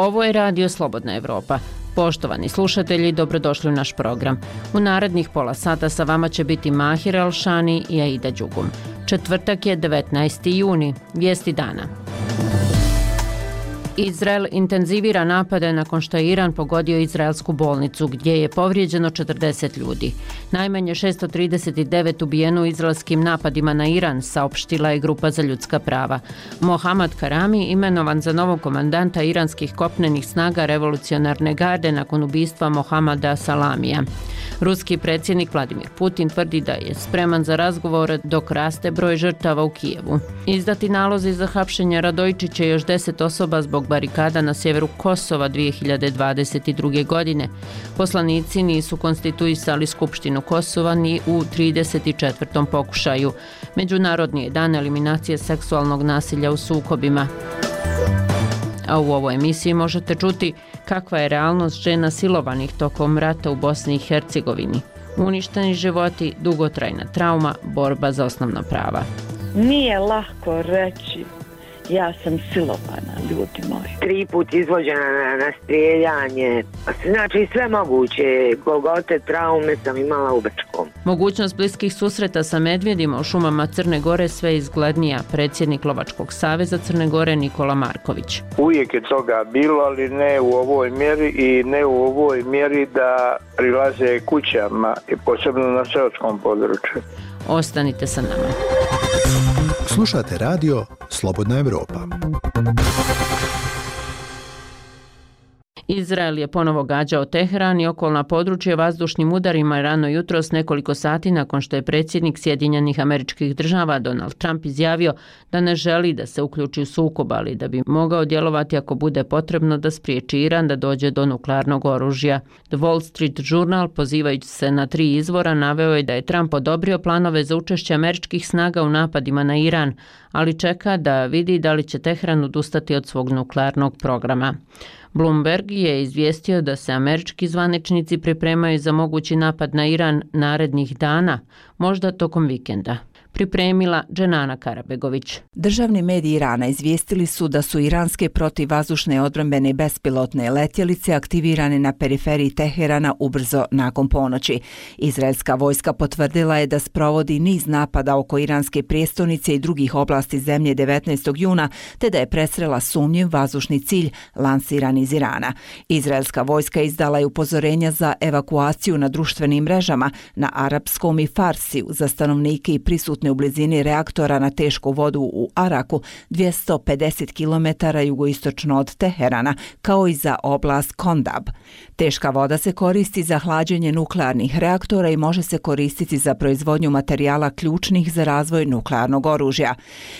Ovo je Radio Slobodna Evropa. Poštovani slušatelji, dobrodošli u naš program. U narednih pola sata sa vama će biti Mahir Alšani i Aida Đugum. Četvrtak je 19. juni. Vijesti dana. Izrael intenzivira napade nakon što je Iran pogodio izraelsku bolnicu, gdje je povrijeđeno 40 ljudi. Najmanje 639 ubijeno u izraelskim napadima na Iran, saopštila je Grupa za ljudska prava. Mohammad Karami imenovan za novog komandanta iranskih kopnenih snaga revolucionarne garde nakon ubistva Mohammada Salamija. Ruski predsjednik Vladimir Putin tvrdi da je spreman za razgovor dok raste broj žrtava u Kijevu. Izdati nalozi za hapšenje Radojčića i još 10 osoba zbog barikada na sjeveru Kosova 2022. godine. Poslanici nisu konstituisali Skupštinu Kosova ni u 34. pokušaju. Međunarodni je dan eliminacije seksualnog nasilja u sukobima. A u ovoj emisiji možete čuti kakva je realnost žena silovanih tokom rata u Bosni i Hercegovini. Uništeni životi, dugotrajna trauma, borba za osnovna prava. Nije lako reći ja sam silovana, ljudi moji. 3 puta izvođena na strijeljanje. Znači sve moguće. Golgote, traume sam imala u Bečkom. Mogućnost bliskih susreta sa medvjedima u šumama Crne Gore sve izglednija. Predsjednik Lovačkog saveza Crne Gore Nikola Marković. Uvijek je toga bilo, ali ne u ovoj mjeri i ne u ovoj mjeri da prilaze kućama i posebno na seoskom području. Ostanite sa nama. Slušate radio Slobodna Evropa. Izrael je ponovo gađao Teheran i okolna područja vazdušnim udarima rano jutros nekoliko sati nakon što je predsjednik Sjedinjenih Američkih Država Donald Trump izjavio da ne želi da se uključi u sukob, ali da bi mogao djelovati ako bude potrebno da spriječi Iran da dođe do nuklearnog oružja. The Wall Street Journal, pozivajući se na 3 izvora, naveo je da je Trump odobrio planove za učešće američkih snaga u napadima na Iran, ali čeka da vidi da li će Teheran odustati od svog nuklearnog programa. Bloomberg je izvijestio da se američki zvaničnici pripremaju za mogući napad na Iran narednih dana, možda tokom vikenda. Pripremila Dženana Karabegović. Državni mediji Irana izvijestili su da su iranske protivvazdušne odbrambene bespilotne letjelice aktivirane na periferiji Teherana ubrzo nakon ponoći. Izraelska vojska potvrdila je da sprovodi niz napada oko iranske prijestolnice i drugih oblasti zemlje 19. juna, te da je presrela sumnjiv vazdušni cilj lansiran iz Irana. Izraelska vojska izdala je upozorenja za evakuaciju na društvenim mrežama na arapskom i farsiju za stanovnike i prisutne u blizini reaktora na tešku vodu u Araku 250 km jugoistočno od Teherana, kao i za oblast Kondab. Teška voda se koristi za hlađenje nuklearnih reaktora i može se koristiti za proizvodnju materijala ključnih za razvoj nuklearnog oružja.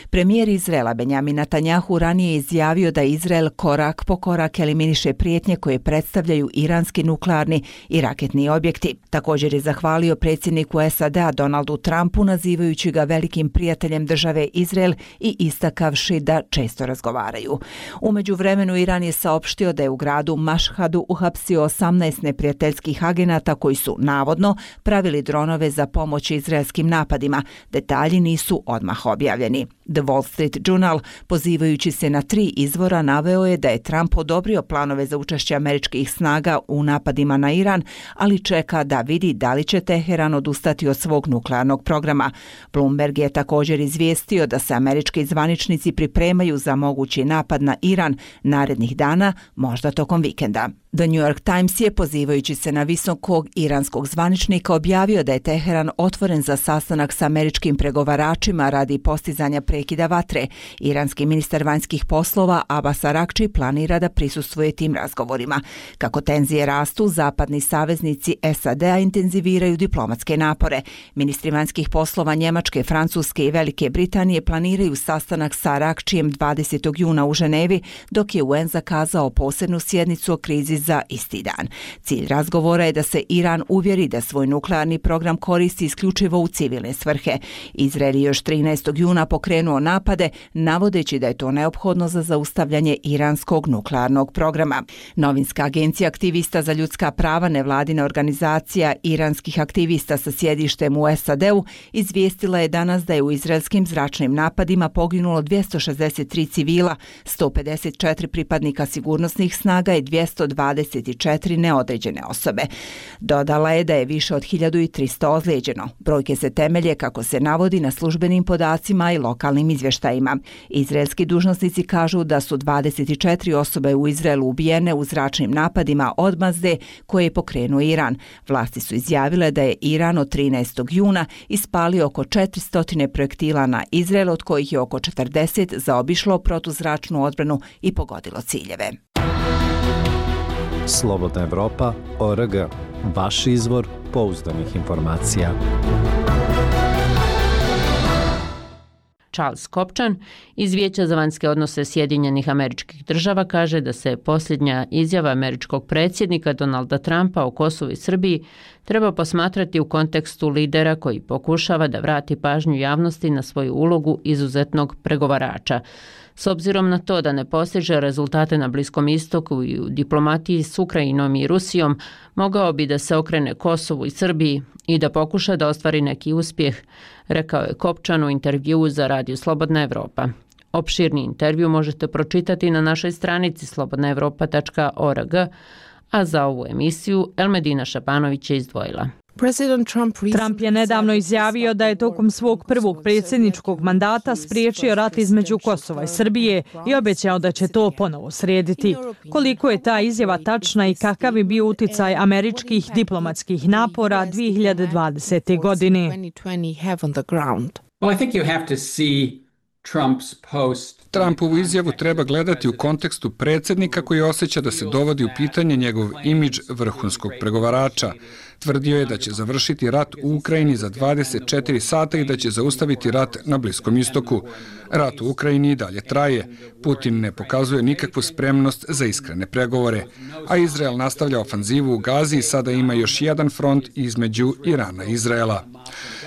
Premijer Izraela Benjamin Netanjahu ranije je izjavio da Izrael korak po korak eliminiše prijetnje koje predstavljaju iranski nuklearni i raketni objekti. Također je zahvalio predsjedniku SAD-a Donaldu Trumpu nazivajući ga velikim prijateljem države Izrael i istakavši da često razgovaraju. U međuvremenu Iran je saopštio da je u gradu Mašhadu uhapsio 18 neprijateljskih agenata koji su navodno pravili dronove za pomoć izraelskim napadima. Detalji nisu odmah objavljeni. The Wall Street Journal, pozivajući se na 3 izvora, naveo je da je Trump odobrio planove za učešće američkih snaga u napadima na Iran, ali čeka da vidi da li će Teheran odustati od svog nuklearnog programa. Bloomberg je također izvijestio da se američki zvaničnici pripremaju za mogući napad na Iran narednih dana, možda tokom vikenda. The New York Times je, pozivajući se na visokog iranskog zvaničnika, objavio da je Teheran otvoren za sastanak sa američkim pregovaračima radi postizanja prekida vatre. Iranski ministar vanjskih poslova Abbas Araghči planira da prisustvuje tim razgovorima. Kako tenzije rastu, zapadni saveznici SAD-a intenziviraju diplomatske napore. Ministri vanjskih poslova Njemačke, Francuske i Velike Britanije planiraju sastanak sa Araghčijem 20. juna u Ženevi, dok je UN zakazao posebnu sjednicu o krizi za isti dan. Cilj razgovora je da se Iran uvjeri da svoj nuklearni program koristi isključivo u civilne svrhe. Izrael je još 13. juna pokrenuo napade, navodeći da je to neophodno za zaustavljanje iranskog nuklearnog programa. Novinska agencija aktivista za ljudska prava, nevladina organizacija iranskih aktivista sa sjedištem u SAD-u, izvijestila je danas da je u izraelskim zračnim napadima poginulo 263 civila, 154 pripadnika sigurnosnih snaga i 224 neodređene osobe. Dodala je da je više od 1300 ozlijeđeno. Brojke se temelje, kako se navodi, na službenim podacima i lokalnim izvještajima. Izraelski dužnosnici kažu da su 24 osobe u Izraelu ubijene u zračnim napadima od Mazde koje je pokrenuo Iran. Vlasti su izjavile da je Iran od 13. juna ispalio oko 400 projektila na Izrael, od kojih je oko 40 zaobišlo protuzračnu odbranu i pogodilo ciljeve. Slobodna Evropa.org. Vaš izvor pouzdanih informacija. Charles Kopčan iz Vijeća za vanjske odnose Sjedinjenih Američkih Država kaže da se posljednja izjava američkog predsjednika Donalda Trumpa o Kosovu i Srbiji treba posmatrati u kontekstu lidera koji pokušava da vrati pažnju javnosti na svoju ulogu izuzetnog pregovarača. S obzirom na to da ne postiže rezultate na Bliskom istoku i u diplomatiji s Ukrajinom i Rusijom, mogao bi da se okrene Kosovu i Srbiji i da pokuša da ostvari neki uspjeh, rekao je Kopčan u intervjuu za Radio Slobodna Evropa. Opširni intervju možete pročitati na našoj stranici slobodnaevropa.org, a za ovu emisiju Elmedina Šapanović je izdvojila. Trump je nedavno izjavio da je tokom svog prvog predsjedničkog mandata spriječio rat između Kosova i Srbije i obećao da će to ponovo srediti. Koliko je ta izjava tačna i kakav je bio uticaj američkih diplomatskih napora 2020. godine? Trumpovu izjavu treba gledati u kontekstu predsjednika koji osjeća da se dovodi u pitanje njegov imidž vrhunskog pregovarača. Tvrdio je da će završiti rat u Ukrajini za 24 sata i da će zaustaviti rat na Bliskom istoku. Rat u Ukrajini i dalje traje. Putin ne pokazuje nikakvu spremnost za iskrene pregovore, a Izrael nastavlja ofanzivu u Gazi i sada ima još jedan front između Irana i Izraela.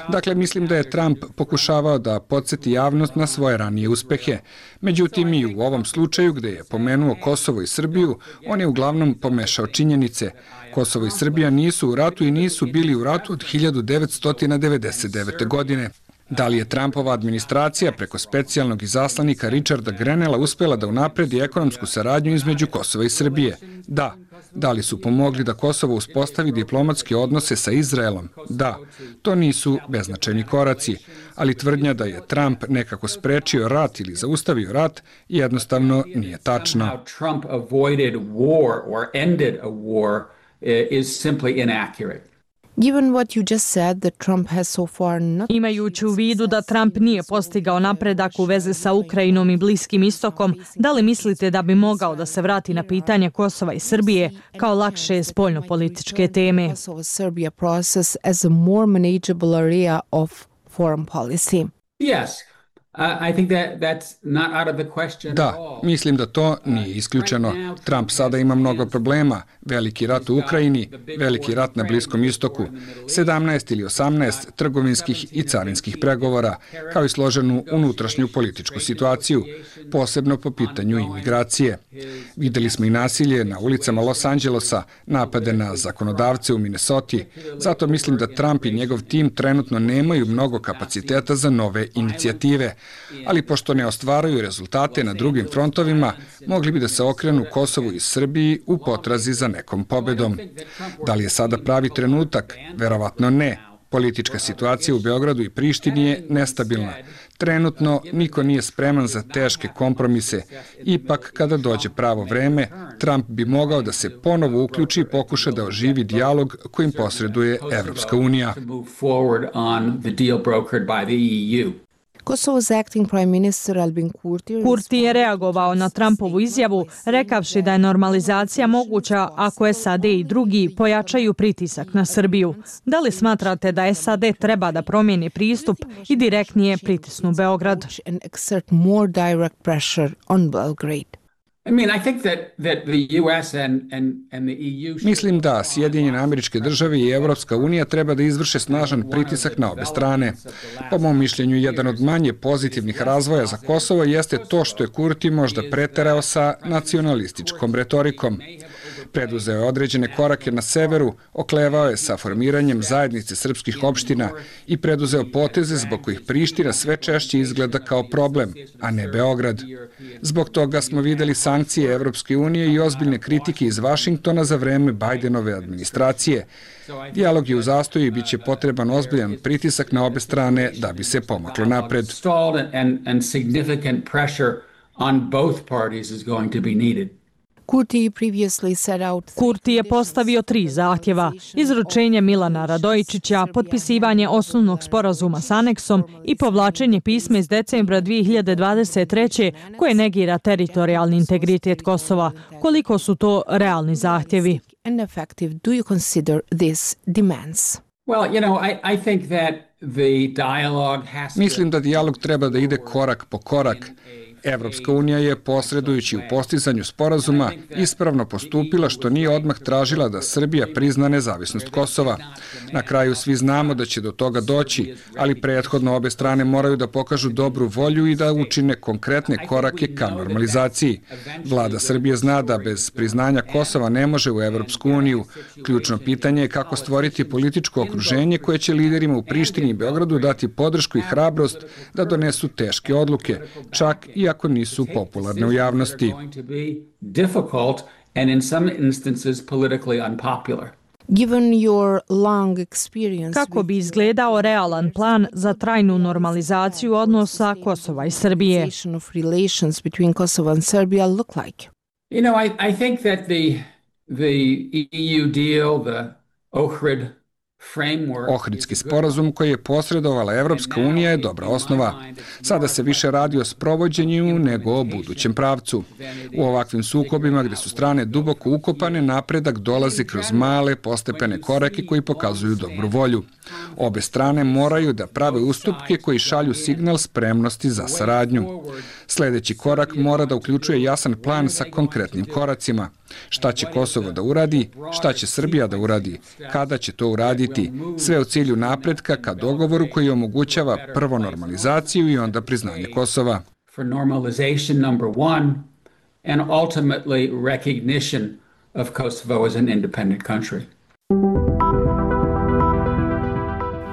Dakle, mislim da je Trump pokušavao da podsjeti javnost na svoje ranije uspehe. Međutim, i u ovom slučaju gdje je pomenuo Kosovo i Srbiju, on je uglavnom pomešao činjenice. Kosovo i Srbija nisu u ratu i nisu bili u ratu od 1999. godine. Da li je Trumpova administracija preko specijalnog izaslanika Richarda Grenella uspjela da unapredi ekonomsku saradnju između Kosova i Srbije? Da. Da li su pomogli da Kosovo uspostavi diplomatske odnose sa Izraelom? Da. To nisu beznačajni koraci, ali tvrdnja da je Trump nekako sprečio rat ili zaustavio rat jednostavno nije tačna. Imajući u vidu da Trump nije postigao napredak u vezi sa Ukrajinom i Bliskim istokom, da li mislite da bi mogao da se vrati na pitanje Kosova i Srbije kao lakše spoljnopolitičke teme? Da, mislim da to nije isključeno. Trump sada ima mnogo problema. Veliki rat u Ukrajini, veliki rat na Bliskom istoku, 17 ili 18 trgovinskih i carinskih pregovora, kao i složenu unutrašnju političku situaciju, posebno po pitanju imigracije. Videli smo i nasilje na ulicama Los Angelesa, napade na zakonodavce u Minnesoti. Zato mislim da Trump i njegov tim trenutno nemaju mnogo kapaciteta za nove inicijative. Ali pošto ne ostvaruju rezultate na drugim frontovima, mogli bi da se okrenu Kosovu i Srbiji u potrazi za nekom pobedom. Da li je sada pravi trenutak? Verovatno ne. Politička situacija u Beogradu i Prištini je nestabilna. Trenutno niko nije spreman za teške kompromise. Ipak, kada dođe pravo vreme, Trump bi mogao da se ponovo uključi i pokuša da oživi dijalog kojim posreduje Evropska unija. Kurti je reagovao na Trumpovu izjavu, rekavši da je normalizacija moguća ako SAD i drugi pojačaju pritisak na Srbiju. Da li smatrate da SAD treba da promijeni pristup i direktnije pritisnu Beograd? Mislim da Sjedinjene Američke Države i Evropska unija treba da izvrše snažan pritisak na obe strane. Po mom mišljenju, jedan od manje pozitivnih razvoja za Kosovo jeste to što je Kurti možda preterao sa nacionalističkom retorikom. Preduzeo je određene korake na severu, oklevao je sa formiranjem zajednice srpskih opština i preduzeo poteze zbog kojih Priština sve češće izgleda kao problem, a ne Beograd. Zbog toga smo videli sankcije Evropske unije i ozbiljne kritike iz Vašingtona za vreme Bajdenove administracije. Dijalog je u zastoju i bit će potreban ozbiljan pritisak na obe strane da bi se pomaklo napred. Kurti je postavio 3 zahtjeva: izručenje Milana Radojičića, potpisivanje osnovnog sporazuma s aneksom i povlačenje pisma iz decembra 2023. koje negira teritorijalni integritet Kosova. Koliko su to realni zahtjevi? Mislim da dijalog treba da ide korak po korak. Evropska unija je, posredujući u postizanju sporazuma, ispravno postupila što nije odmah tražila da Srbija prizna nezavisnost Kosova. Na kraju svi znamo da će do toga doći, ali prethodno obe strane moraju da pokažu dobru volju i da učine konkretne korake ka normalizaciji. Vlada Srbije zna da bez priznanja Kosova ne može u Evropsku uniju. Ključno pitanje je kako stvoriti političko okruženje koje će liderima u Prištini i Beogradu dati podršku i hrabrost da donesu teške odluke, čak i ako nisu popularne u javnosti. Kako bi izgledao realan plan za trajnu normalizaciju odnosa Kosova i Srbije? I think that the EU deal, the Ohrid Ohridski sporazum koji je posredovala Evropska unija je dobra osnova. Sada se više radi o sprovođenju nego o budućem pravcu. U ovakvim sukobima gdje su strane duboko ukopane, napredak dolazi kroz male postepene korake koji pokazuju dobru volju. Obe strane moraju da prave ustupke koji šalju signal spremnosti za saradnju. Sljedeći korak mora da uključuje jasan plan sa konkretnim koracima. Šta će Kosovo da uradi, šta će Srbija da uradi, kada će to uraditi, sve u cilju napretka ka dogovoru koji omogućava prvo normalizaciju i onda priznanje Kosova. For normalization number 1 and ultimately recognition of Kosovo as an independent country.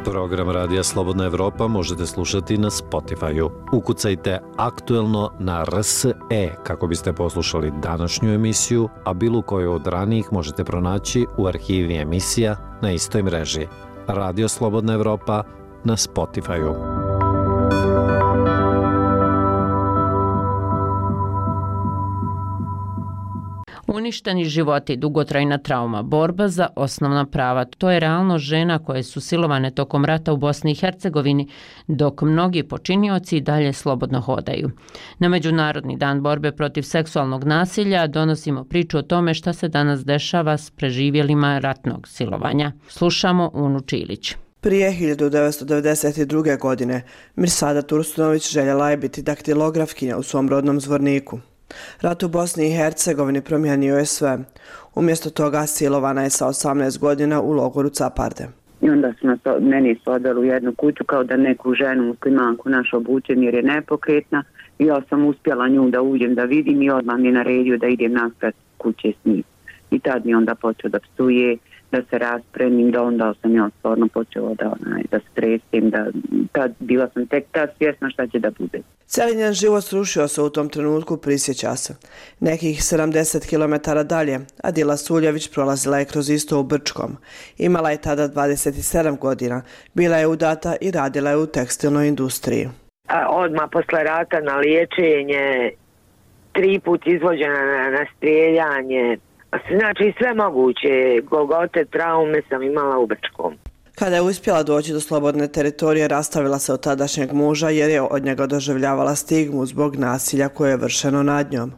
Program Radija Slobodna Evropa možete slušati na Spotify-u. Ukucajte aktuelno na RSE kako biste poslušali današnju emisiju, a bilo koju od ranijih možete pronaći u arhivi emisija na istoj mreži. Radio Slobodna Evropa na Spotify-u. Uništeni životi, dugotrajna trauma, borba za osnovna prava. To je realnost žena koje su silovane tokom rata u Bosni i Hercegovini, dok mnogi počinioci dalje slobodno hodaju. Na Međunarodni dan borbe protiv seksualnog nasilja donosimo priču o tome šta se danas dešava s preživjelima ratnog silovanja. Slušamo Unu Čilić. Prije 1992. godine Mirsada Tursunović željela je biti daktilografkinja u svom rodnom Zvorniku. Rat u Bosni i Hercegovini promijenio je sve. Umjesto toga silovana je sa 18 godina u logoru Caparde. I onda su meni odveli u jednu kuću kao da neku ženu muslimanku našu obučem jer je nepokretna. I ja sam uspjela nju da uđem da vidim i odmah mi je naredio da idem naspred kuće s njim. I tad mi onda počeo da psuje, da se raspremim, da onda sam ja stvarno počela da stresim, tad bila sam tek tad svjesna šta će da bude. Cijeli njen život srušio se u tom trenutku, prisjeća se. Nekih 70 km dalje, Adila Suljević prolazila je kroz isto u Brčkom. Imala je tada 27 godina, bila je udata i radila je u tekstilnoj industriji. Odmah posle rata na liječenje, 3 put izvođena na strijeljanje, znači sve moguće, golgote, traume sam imala u Brčkom. Kada je uspjela doći do slobodne teritorije, rastavila se od tadašnjeg muža jer je od njega doživljavala stigmu zbog nasilja koje je vršeno nad njom.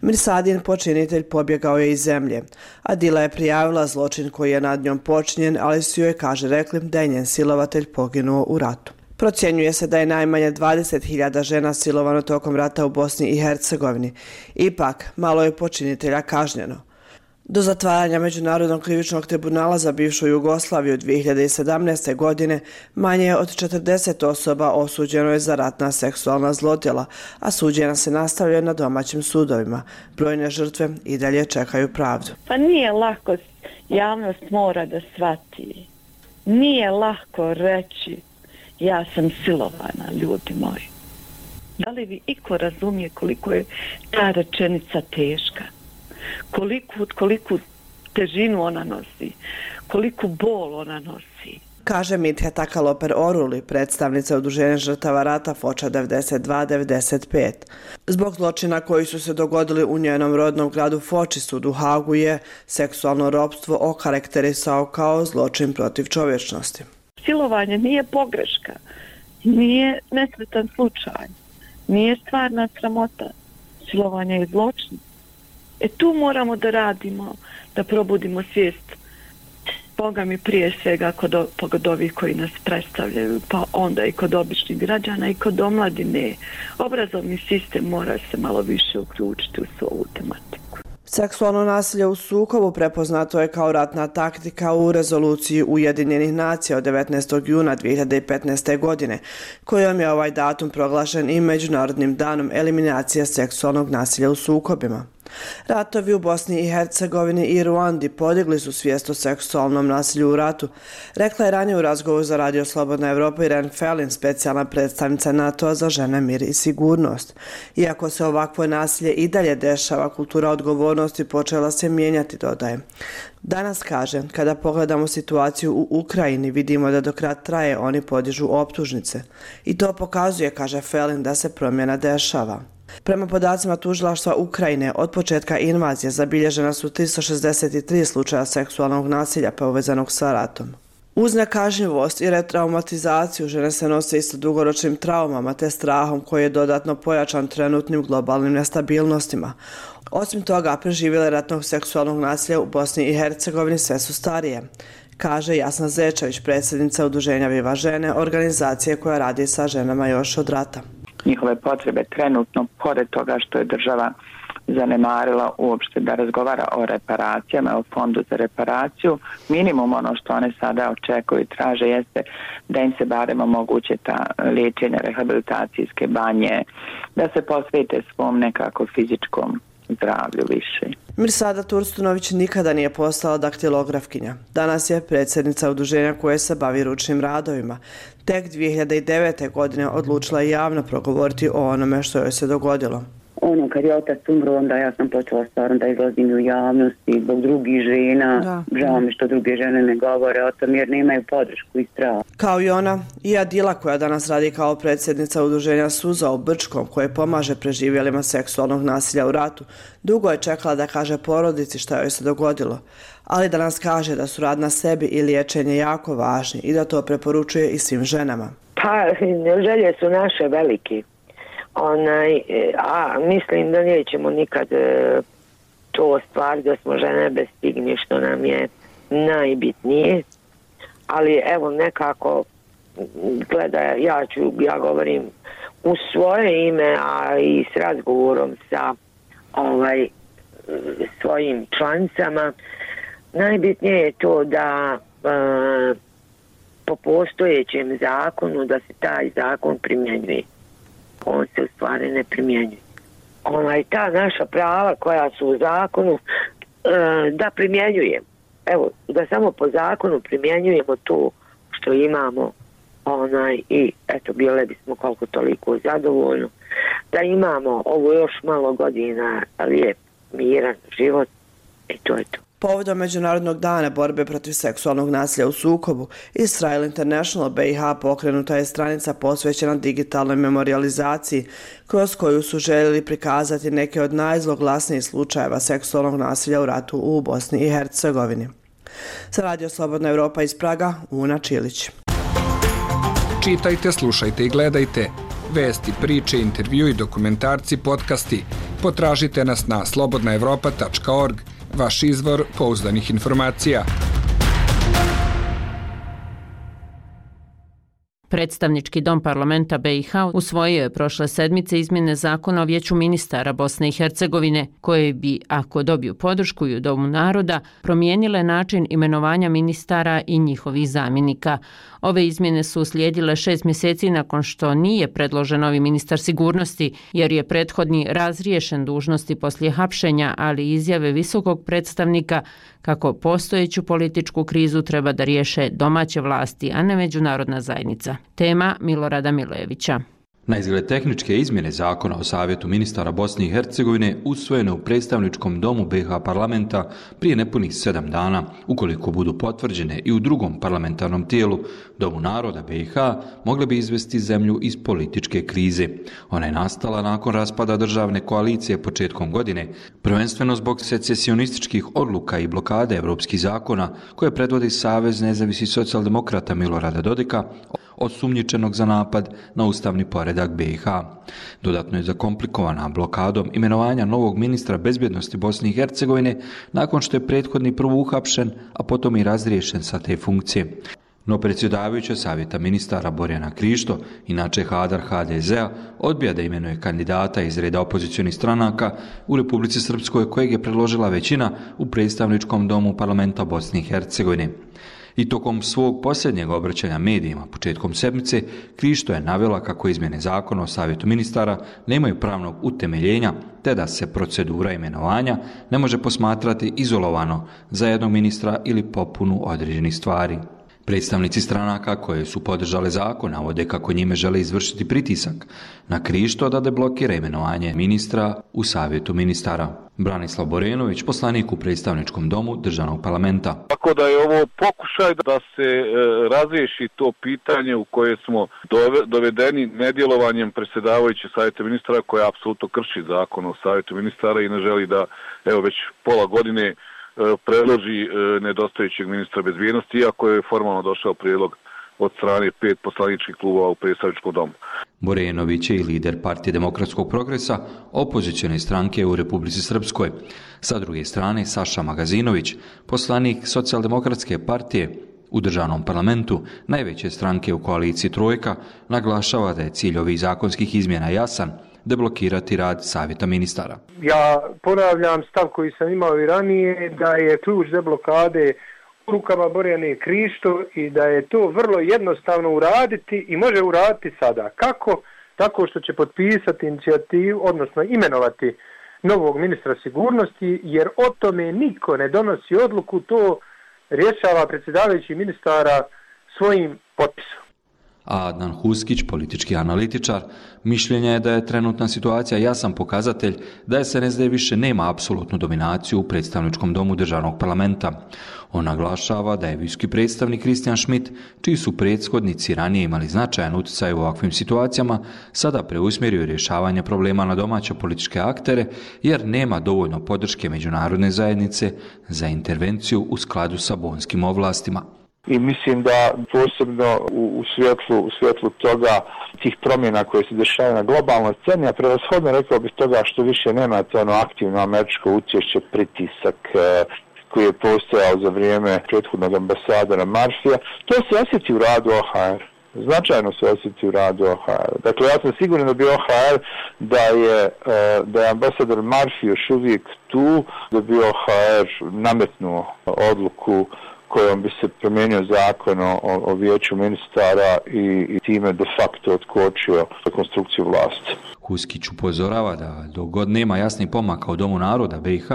Mirsadin počinitelj pobjegao je iz zemlje. Adila je prijavila zločin koji je nad njom počinjen, ali su joj, kaže, rekli da je njen silovatelj poginuo u ratu. Procjenjuje se da je najmanje 20.000 žena silovano tokom rata u Bosni i Hercegovini. Ipak, malo je počinitelja kažnjeno. Do zatvaranja Međunarodnog krivičnog tribunala za bivšu Jugoslaviju 2017. godine manje je od 40 osoba osuđeno je za ratna seksualna zlodjela, a suđenja se nastavljaju na domaćim sudovima. Brojne žrtve i dalje čekaju pravdu. Pa nije lako, javnost mora da shvati. Nije lako reći ja sam silovana, ljudi moji. Da li vi iko razumije koliko je ta rečenica teška? Koliku težinu ona nosi, koliku bol ona nosi. Kaže Mitja Takaloper Oruli, predstavnica Udruženja žrtava rata Foča 92-95. Zbog zločina koji su se dogodili u njenom rodnom gradu Foči, sud u Hagu je seksualno ropstvo okarakterisao kao zločin protiv čovječnosti. Silovanje nije pogreška, nije nesretan slučaj, nije stvarna sramota. Silovanje je zločin. Tu moramo da radimo, da probudimo svijest, Boga mi prije svega kod ovih koji nas predstavljaju, pa onda i kod običnih građana i kod omladine. Obrazovni sistem mora se malo više uključiti u svu ovu tematiku. Seksualno nasilje u sukobu prepoznato je kao ratna taktika u rezoluciji Ujedinjenih nacija od 19. juna 2015. godine, kojom je ovaj datum proglašen i Međunarodnim danom eliminacije seksualnog nasilja u sukobima. Ratovi u Bosni i Hercegovini i Ruandi podigli su svijest o seksualnom nasilju u ratu, rekla je ranije u razgovoru za Radio Slobodna Evropa Irene Felin, specijalna predstavnica NATO-a za žene, mir i sigurnost. Iako se ovakvo nasilje i dalje dešava, kultura odgovornosti počela se mijenjati, dodaje. Danas, kaže, kada pogledamo situaciju u Ukrajini, vidimo da dok rat traje, oni podižu optužnice. I to pokazuje, kaže Felin, da se promjena dešava. Prema podacima tužilaštva Ukrajine, od početka invazije zabilježena su 363 slučaja seksualnog nasilja povezanog sa ratom. Uz nekažnjivost i retraumatizaciju žene se nose i sa dugoročnim traumama te strahom koji je dodatno pojačan trenutnim globalnim nestabilnostima. Osim toga, preživjele ratnog seksualnog nasilja u Bosni i Hercegovini sve su starije, kaže Jasna Zečević, predsjednica Udruženja Viva žene, organizacije koja radi sa ženama još od rata. Njihove potrebe trenutno, pored toga što je država zanemarila uopšte da razgovara o reparacijama, o fondu za reparaciju, minimum ono što one sada očekuju i traže jeste da im se barem omoguće ta liječenja, rehabilitacijske banje, da se posvete svom nekako fizičkom zdravlju više. Mirsada Turstunović nikada nije postala daktilografkinja. Danas je predsjednica udruženja koje se bavi ručnim radovima. Tek 2009. godine odlučila je javno progovoriti o onome što joj se dogodilo. Kad je otac umro, onda ja sam počela stvarno da izlazim u javnosti zbog drugih žena. Žao mi što druge žene ne govore o tom jer nemaju podršku i strah. Kao i ona, i Adila koja danas radi kao predsjednica udruženja Suza u Brčkom koje pomaže preživjelima seksualnog nasilja u ratu, dugo je čekala da kaže porodici šta joj se dogodilo, ali danas kaže da su rad na sebi i liječenje jako važni i da to preporučuje i svim ženama. Pa, želje su naše velike. A mislim da nećemo nikad to ostvariti, da smo žene bestigni, što nam je najbitnije. Ali evo nekako, gledaj, ja govorim u svoje ime, a i s razgovorom sa svojim članicama, najbitnije je to da po postojećem zakonu da se taj zakon primjenjuje. On se u stvari ne primjenjuje. Ta naša prava koja su u zakonu da primjenjujemo. Evo, da samo po zakonu primjenjujemo to što imamo i eto, bile bismo koliko toliko zadovoljno. Da imamo ovo još malo godina lijep, miran život i to je to. Povodom Međunarodnog dana borbe protiv seksualnog nasilja u sukobu, Israel International BiH pokrenuta je stranica posvećena digitalnoj memorijalizaciji, kroz koju su željeli prikazati neke od najzloglasnijih slučajeva seksualnog nasilja u ratu u Bosni i Hercegovini. Za Radio Slobodna Evropa iz Praga, Una Čilić. Čitajte, slušajte i gledajte vesti, priče, intervju i dokumentarci, podcasti. Potražite nas na slobodnaevropa.org, vaš izvor pouzdanih informacija. Predstavnički dom parlamenta BiH usvojio je prošle sedmice izmjene zakona o vijeću ministara Bosne i Hercegovine, koje bi, ako dobiju podršku i u Domu naroda, promijenile način imenovanja ministara i njihovih zamjenika. Ove izmjene su uslijedile 6 mjeseci nakon što nije predložen novi ministar sigurnosti, jer je prethodni razriješen dužnosti poslije hapšenja, ali izjave visokog predstavnika kako postojeću političku krizu treba da riješe domaće vlasti, a ne međunarodna zajednica. Tema Milorada Milojevića. Na izgled tehničke izmjene zakona o Savjetu ministara Bosne i Hercegovine usvojene u predstavničkom domu BiH parlamenta prije nepunih 7 dana, ukoliko budu potvrđene i u drugom parlamentarnom tijelu, Domu naroda BiH, mogle bi izvesti zemlju iz političke krize. Ona je nastala nakon raspada državne koalicije početkom godine, prvenstveno zbog secesionističkih odluka i blokade evropskih zakona koje predvodi Savez nezavisnih socijaldemokrata Milorada Dodika, osumnjičenog za napad na ustavni poredak BiH. Dodatno je zakomplikovana blokadom imenovanja novog ministra bezbjednosti Bosne i Hercegovine nakon što je prethodni prvo uhapšen, a potom i razriješen sa te funkcije. No predsjedavajuća Savjeta ministara Borjana Krišto, inače Hadar HDZ-a, odbija da imenuje kandidata iz reda opozicionih stranaka u Republici Srpskoj kojeg je predložila većina u predstavničkom domu parlamenta Bosne i Hercegovine. I tokom svog posljednjeg obraćanja medijima početkom sedmice, Krišto je navela kako izmjene zakona o Savjetu ministara nemaju pravnog utemeljenja, te da se procedura imenovanja ne može posmatrati izolovano za jednog ministra ili popunu određenih stvari. Predstavnici stranaka koje su podržale zakon navode kako njime žele izvršiti pritisak na Krišto da deblokira imenovanje ministra u Savjetu ministara. Branislav Borenović, poslanik u predstavničkom domu državnog parlamenta. Tako da je ovo pokušaj da se razriješi to pitanje u koje smo dovedeni nedjelovanjem predsjedavajuće Savjeta ministara koja apsolutno krši zakon o Savjetu ministara i ne želi da već pola godine predloži nedostajućeg ministra bezbjednosti, iako je formalno došao prijedlog od strane 5 poslaničkih klubova u predstavničkom domu. Borenović je i lider Partije demokratskog progresa, opozicione stranke u Republici Srpskoj. Sa druge strane, Saša Magazinović, poslanik Socijaldemokratske partije u državnom parlamentu, najveće stranke u koaliciji Trojka, naglašava da je cilj ovih zakonskih izmjena jasan, deblokirati rad Savjeta ministara. Ja ponavljam stav koji sam imao i ranije, da je ključ deblokade u rukama Borjane Krišto i da je to vrlo jednostavno uraditi i može uraditi sada. Kako? Tako što će potpisati inicijativu, odnosno imenovati novog ministra sigurnosti, jer o tome niko ne donosi odluku, to rješava predsjedavajući ministara svojim potpisom. Adnan Huskić, politički analitičar, mišljenja je da je trenutna situacija jasan pokazatelj da SNSD više nema apsolutnu dominaciju u predstavničkom domu državnog parlamenta. On naglašava da je visoki predstavnik Kristijan Schmidt, čiji su prethodnici ranije imali značajan utjecaj u ovakvim situacijama, sada preusmjerio rješavanje problema na domaće političke aktere, jer nema dovoljno podrške međunarodne zajednice za intervenciju u skladu sa bonskim ovlastima. I mislim da posebno u svjetlu toga, tih promjena koje se dešavaju na globalnoj sceni, a prevashodno rekao bih toga što više nemate ono aktivno američko učešće, pritisak koji je postojao za vrijeme prethodnog ambasadora Murphyja, to se osjeti u radu OHR. Značajno se osjeti u radu OHR. Dakle, ja sam siguran da bi OHR, da je ambasador Murphy još uvijek tu, da bi OHR nametnuo odluku kojom bi se promijenio zakon o vijeću ministara i time de facto otkočio rekonstrukciju vlasti. Huskić upozorava da dok god nema jasnih pomaka u Domu naroda BiH,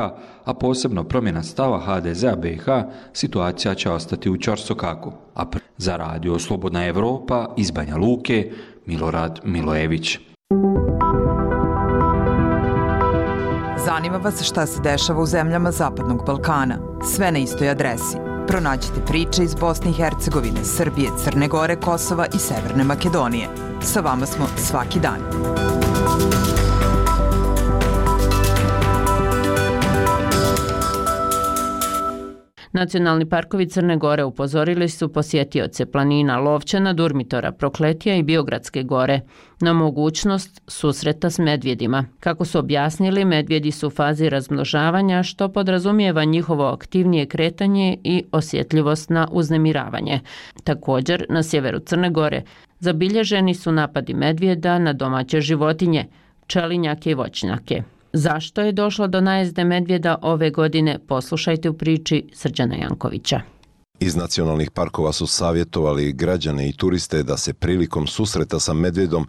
a posebno promjena stava HDZ-a BiH, situacija će ostati u ćorsokaku. A za radio Slobodna Evropa iz Banja Luke, Milorad Milojević. Zanima vas šta se dešava u zemljama Zapadnog Balkana? Sve na istoj adresi. Pronađite priče iz Bosne i Hercegovine, Srbije, Crne Gore, Kosova i Severne Makedonije. Sa vama smo svaki dan. Nacionalni parkovi Crne Gore upozorili su posjetioce planina Lovćana, Durmitora, Prokletija i Biogradske gore na mogućnost susreta s medvjedima. Kako su objasnili, medvjedi su u fazi razmnožavanja, što podrazumijeva njihovo aktivnije kretanje i osjetljivost na uznemiravanje. Također, na sjeveru Crne Gore zabilježeni su napadi medvjeda na domaće životinje, pčelinjake i voćnjake. Zašto je došlo do najezde medvjeda ove godine, poslušajte u priči Srđana Jankovića. Iz nacionalnih parkova su savjetovali građane i turiste da se prilikom susreta sa medvjedom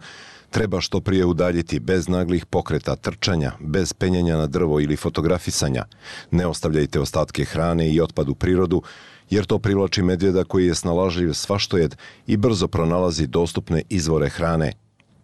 treba što prije udaljiti bez naglih pokreta, trčanja, bez penjanja na drvo ili fotografisanja. Ne ostavljajte ostatke hrane i otpad u prirodu, jer to privlači medvjeda koji je snalažljiv svaštojed i brzo pronalazi dostupne izvore hrane.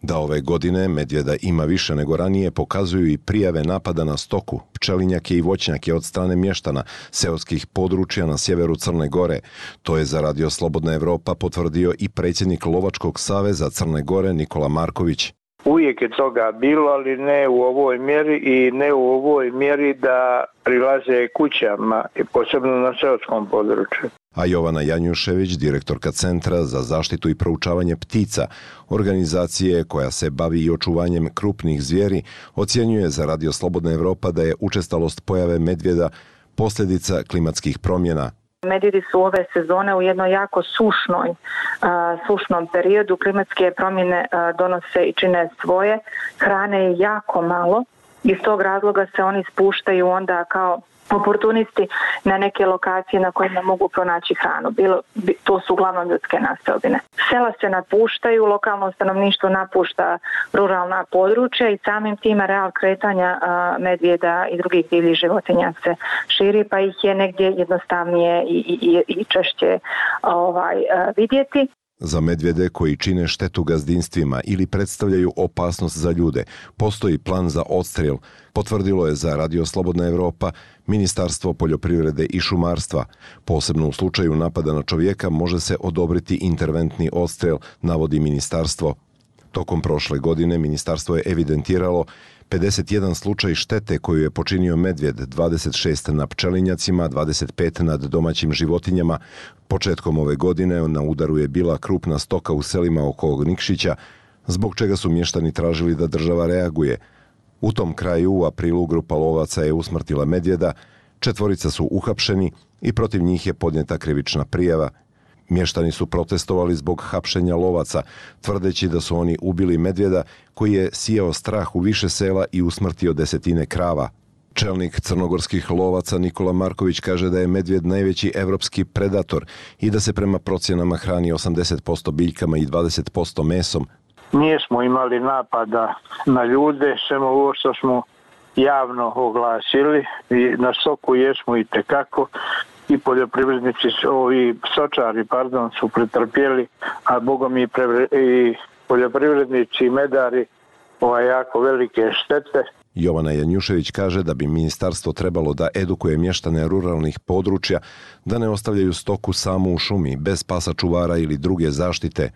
Da ove godine medvjeda ima više nego ranije pokazuju i prijave napada na stoku, pčelinjake i voćnjake od strane mještana seoskih područja na sjeveru Crne Gore. To je za Radio Slobodna Evropa potvrdio i predsjednik Lovačkog saveza Crne Gore Nikola Marković. Uvijek je toga bilo, ali ne u ovoj mjeri i ne u ovoj mjeri da prilaze kućama, posebno na seoskom području. A Jovana Janjušević, direktorka Centra za zaštitu i proučavanje ptica, organizacije koja se bavi i očuvanjem krupnih zvijeri, ocjenjuje za Radio Slobodna Evropa da je učestalost pojave medvjeda posljedica klimatskih promjena. Medvjedi su ove sezone u jednoj jako sušnom periodu. Klimatske promjene donose i čine svoje. Hrane je jako malo. Iz tog razloga se oni spuštaju onda kao oportunisti na neke lokacije na kojima mogu pronaći hranu. To su uglavnom ljudske naseobine. Sela se napuštaju, lokalno stanovništvo napušta ruralna područja i samim tim areal kretanja medvjeda i drugih divljih životinja se širi, pa ih je negdje jednostavnije i češće vidjeti. Za medvjede koji čine štetu gazdinstvima ili predstavljaju opasnost za ljude, postoji plan za odstrel, potvrdilo je za Radio Slobodna Evropa Ministarstvo poljoprivrede i šumarstva. Posebno u slučaju napada na čovjeka može se odobriti interventni odstrel, navodi ministarstvo. Tokom prošle godine ministarstvo je evidentiralo 51 slučaj štete koju je počinio medvjed, 26 na pčelinjacima, 25 nad domaćim životinjama. Početkom ove godine na udaru je bila krupna stoka u selima oko Nikšića, zbog čega su mještani tražili da država reaguje. U tom kraju u aprilu grupa lovaca je usmrtila medvjeda, 4 su uhapšeni i protiv njih je podnijeta krivična prijava. Mještani su protestovali zbog hapšenja lovaca, tvrdeći da su oni ubili medvjeda koji je sijao strah u više sela i usmrtio desetine krava. Čelnik crnogorskih lovaca Nikola Marković kaže da je medvjed najveći evropski predator i da se prema procjenama hrani 80% biljkama i 20% mesom. Nismo imali napada na ljude, samo ovo što smo javno oglasili i na stoku jesmo i tekako. I poljoprivrednici, stočari su pretrpjeli, a bogom i poljoprivrednici i medari jako velike štete. Jovana Janjušević kaže da bi ministarstvo trebalo da edukuje mještane ruralnih područja da ne ostavljaju stoku samu u šumi, bez pasa čuvara ili druge zaštite.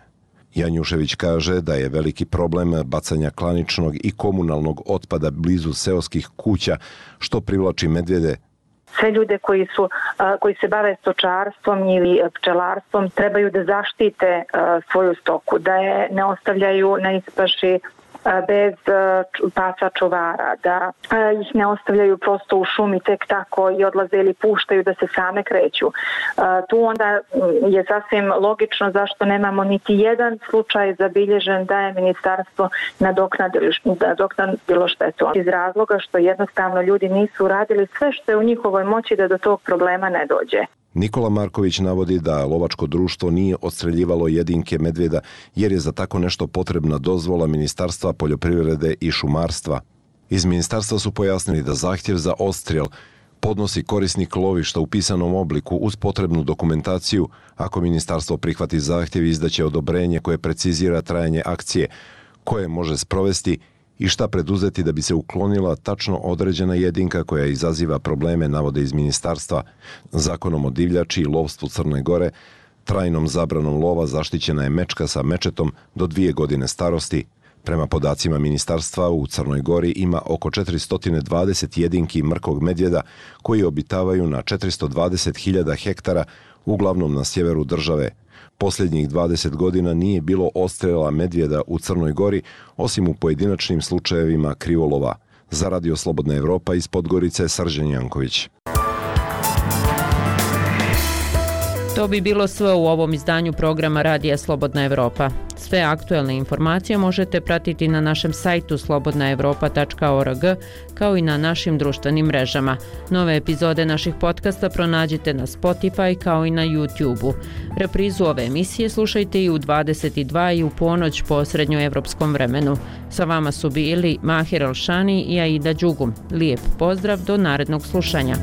Janjušević kaže da je veliki problem bacanja klaničnog i komunalnog otpada blizu seoskih kuća, što privlači medvjede. Sve ljude koji se bave stočarstvom ili pčelarstvom trebaju da zaštite svoju stoku, da je ne ostavljaju na ispaši bez pasa čuvara, da ih ne ostavljaju prosto u šumi tek tako i odlaze ili puštaju da se same kreću. Tu onda je sasvim logično zašto nemamo niti jedan slučaj zabilježen da je ministarstvo nadoknadilo štetu. Iz razloga što jednostavno ljudi nisu radili sve što je u njihovoj moći da do tog problema ne dođe. Nikola Marković navodi da lovačko društvo nije odstreljivalo jedinke medvjeda jer je za tako nešto potrebna dozvola Ministarstva poljoprivrede i šumarstva. Iz ministarstva su pojasnili da zahtjev za odstrel podnosi korisnik lovišta u pisanom obliku uz potrebnu dokumentaciju. Ako ministarstvo prihvati zahtjev, izdaće odobrenje koje precizira trajanje akcije, koje može sprovesti i šta preduzeti da bi se uklonila tačno određena jedinka koja izaziva probleme, navode iz ministarstva. Zakonom o divljači i lovstvu Crne Gore trajnom zabranom lova zaštićena je mečka sa mečetom do 2 godine starosti. Prema podacima ministarstva, u Crnoj Gori ima oko 420 jedinki mrkog medvjeda koji obitavaju na 420.000 hektara, uglavnom na sjeveru države. Posljednjih 20 godina nije bilo odstrela medvjeda u Crnoj Gori, osim u pojedinačnim slučajevima krivolova. Za Radio Slobodna Evropa iz Podgorice, Srđan Janković. To bi bilo sve u ovom izdanju programa Radija Slobodna Evropa. Sve aktuelne informacije možete pratiti na našem sajtu slobodnaevropa.org kao i na našim društvenim mrežama. Nove epizode naših podcasta pronađite na Spotify kao i na YouTube-u. Reprizu ove emisije slušajte i u 22 i u ponoć po srednjoevropskom vremenu. Sa vama su bili Mahir Alšani i Aida Đugum. Lijep pozdrav do narednog slušanja.